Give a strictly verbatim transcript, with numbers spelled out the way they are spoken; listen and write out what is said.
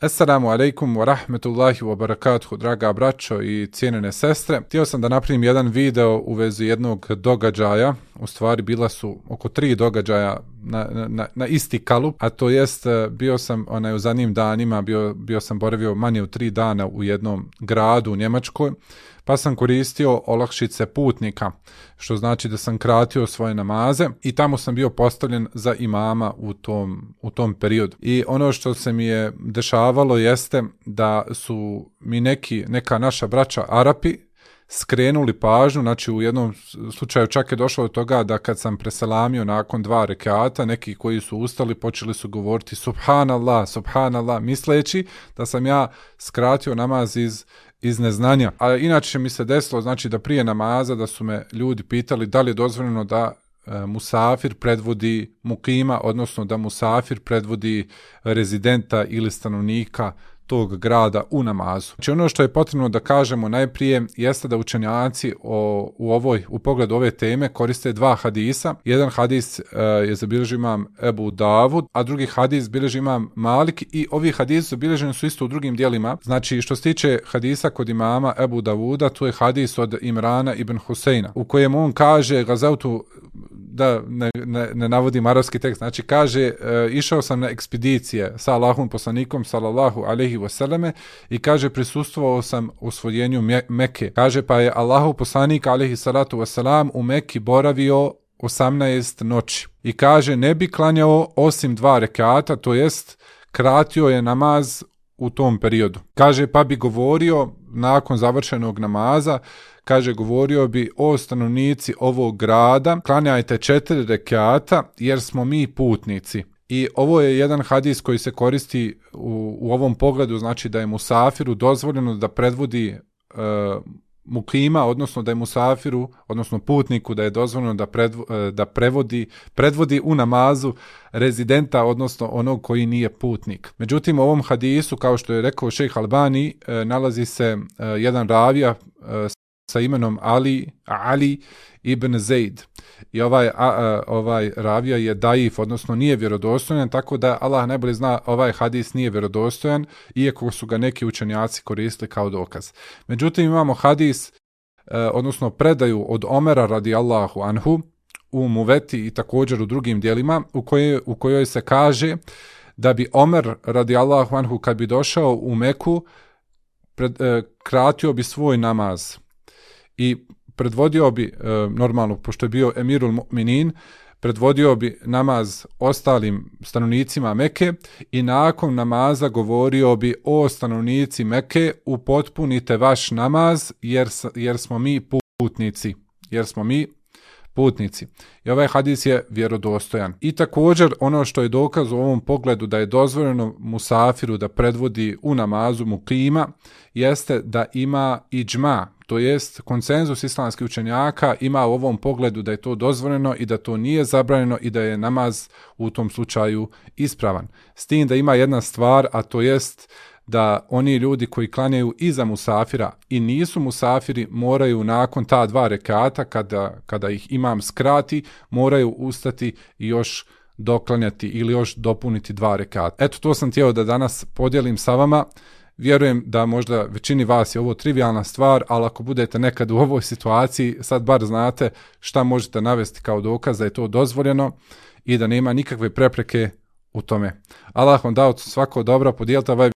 Assalamu alaikum wa rahmetullahi wa barakatuhu, draga braćo i cijenjene sestre. Htio sam da napravim jedan video u vezi jednog događaja, u stvari bila su oko tri događaja na, na, na isti kalup, a to jest bio sam onaj, u zadnjim danima, bio, bio sam boravio manje od tri dana u jednom gradu u Njemačkoj, pa sam koristio olakšice putnika, što znači da sam kratio svoje namaze i tamo sam bio postavljen za imama u tom, u tom periodu. I ono što se mi je dešavalo jeste da su mi neki, neka naša braća Arapi skrenuli pažnju, znači u jednom slučaju čak je došlo do toga da kad sam preselamio nakon dva rekata, neki koji su ustali počeli su govoriti subhanallah, subhanallah, misleći da sam ja skratio namaz iz iz neznanja. A inače mi se desilo, znači da prije namaza da su me ljudi pitali da li je dozvoljeno da e, musafir predvodi mukima, odnosno da musafir predvodi rezidenta ili stanovnika tog grada u namazu. Znači ono što je potrebno da kažemo najprije jeste da učenjaci o, u ovoj u pogledu ove teme koriste dva hadisa. Jedan hadis e, je zabilježio imam Ebu Davud, a drugi hadis bilježi imam Malik i ovi hadisi zabilježeni su isto u drugim dijelima. Znači što se tiče hadisa kod imama Ebu Davuda, tu je hadis od Imrana ibn Huseina u kojem on kaže gazautu, da ne, ne, ne navodim arapski tekst, znači kaže e, išao sam na ekspedicije sa Allahom poslanikom sallallahu alejhi ve selleme i kaže prisustvovao sam osvojenju Mekke. Kaže pa je Allahov poslanik alejhi salatu vesselam u Mekki boravio osamnaest noći i kaže ne bi klanjao osim dva rekata, to jest kratio je namaz u tom periodu. Kaže pa bi govorio nakon završenog namaza, kaže govorio bi o stanovnici ovog grada, klanjajte četiri rekata jer smo mi putnici. I ovo je jedan hadis koji se koristi u, u ovom pogledu, znači da je musafiru dozvoljeno da predvodi e, mukima, odnosno da je musafiru, odnosno putniku da je dozvoljeno da, predv, da prevodi, predvodi u namazu rezidenta, odnosno onog koji nije putnik. Međutim, u ovom hadisu, kao što je rekao šejh Albani, e, nalazi se e, jedan ravija e, sa imenom Ali, Ali ibn Zaid. I ovaj, a, a, ovaj ravija je daif, odnosno nije vjerodostojan, tako da Allah najbolje zna ovaj hadis nije vjerodostojan, iako su ga neki učenjaci koristili kao dokaz. Međutim, imamo hadis, e, odnosno predaju od Omera radijallahu anhu u Muveti i također u drugim dijelima, u kojoj, u kojoj se kaže da bi Omer radijallahu anhu kad bi došao u Meku, pred, e, kratio bi svoj namaz i predvodio bi, e, normalno, pošto je bio emirul mu'minin, predvodio bi namaz ostalim stanovnicima Mekke i nakon namaza govorio bi o stanovnici Mekke, upotpunite vaš namaz jer, jer smo mi putnici. Jer smo mi putnici. I ovaj hadis je vjerodostojan. I također ono što je dokaz u ovom pogledu da je dozvoljeno musafiru da predvodi u namazu mukima jeste da ima iđma, to jest konsenzus islamskih učenjaka ima u ovom pogledu da je to dozvoljeno i da to nije zabranjeno i da je namaz u tom slučaju ispravan. S tim da ima jedna stvar, a to jest da oni ljudi koji klanjaju iza musafira i nisu musafiri moraju nakon ta dva rekata kada, kada ih imam skrati moraju ustati i još doklanjati ili još dopuniti dva rekata. Eto to sam htio da danas podijelim sa vama. Vjerujem da možda većini vas je ovo trivijalna stvar, ali ako budete nekad u ovoj situaciji, sad bar znate šta možete navesti kao dokaz da je to dozvoljeno i da nema nikakve prepreke u tome. Allah vam dao svako dobro, podijelite ovaj